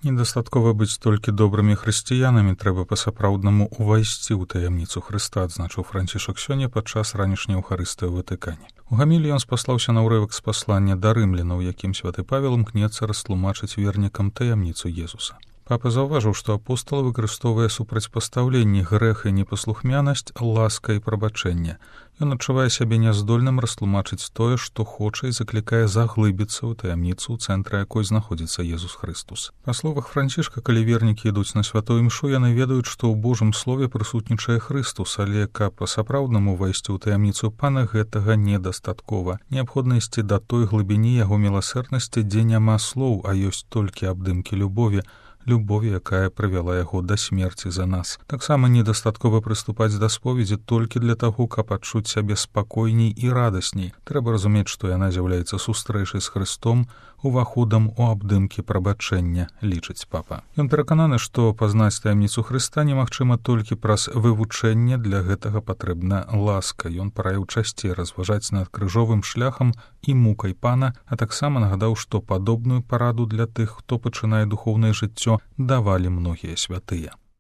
Недастаткова быць толькі добрымі хрысціянамі, трэба па-сапраўднаму ўвайсці ў таямніцу Хрыста, адзначыў Францішак сёння падчас ранішняй Еўхарыстыі ў Ватыкане. У гаміліі ён спаслаўся на ўрывак з паслання да рымлянаў, якім святы Павел імкнецца растлумачыць вернікам таямніцу Езуса. Папа заўважыў, што апостал выкарыстоўвае супрацьпастаўленні грэх і непаслухмянасць, ласка і прабачэнне. Ён адчувае сябе няздольным растлумачыць тое, што хоча і заклікае заглыбіцца ў таямніцу, у цэнтры якой знаходзіцца Езус Хрыстус. Па словах Францішка, калі вернікі ідуць на святую імшу, яны ведаюць, што ў Божым слове прысутнічае Хрыстус, але каб па-сапраўднаму ўвайсці ў таямніцу Пана, гэтага недастаткова. Неабходна ісці да той глыбіні яго міласэрнасці, дзе няма слоў, а ёсць толькі абдымкі любові, якая прывяла яго да смерці за нас. Таксама недастаткова прыступаць да споведзі толькі для таго, каб адчуць сябе спакойней і радасней. Трэба разумець, што яна з'яўляецца сустрэчай з Хрыстом, уваходам у абдымкі прабачэння, лічыць папа. Ён перакананы, што пазнаць таямніцу Хрыста немагчыма толькі праз вывучэнне, для гэтага патрэбна ласка. Ён параіў часцей разважаць над крыжовым шляхам і мукай Пана, а таксама нагадаў, што падобную параду для тых, хто пачынае духоўнае жыццё, давалі многія святыя.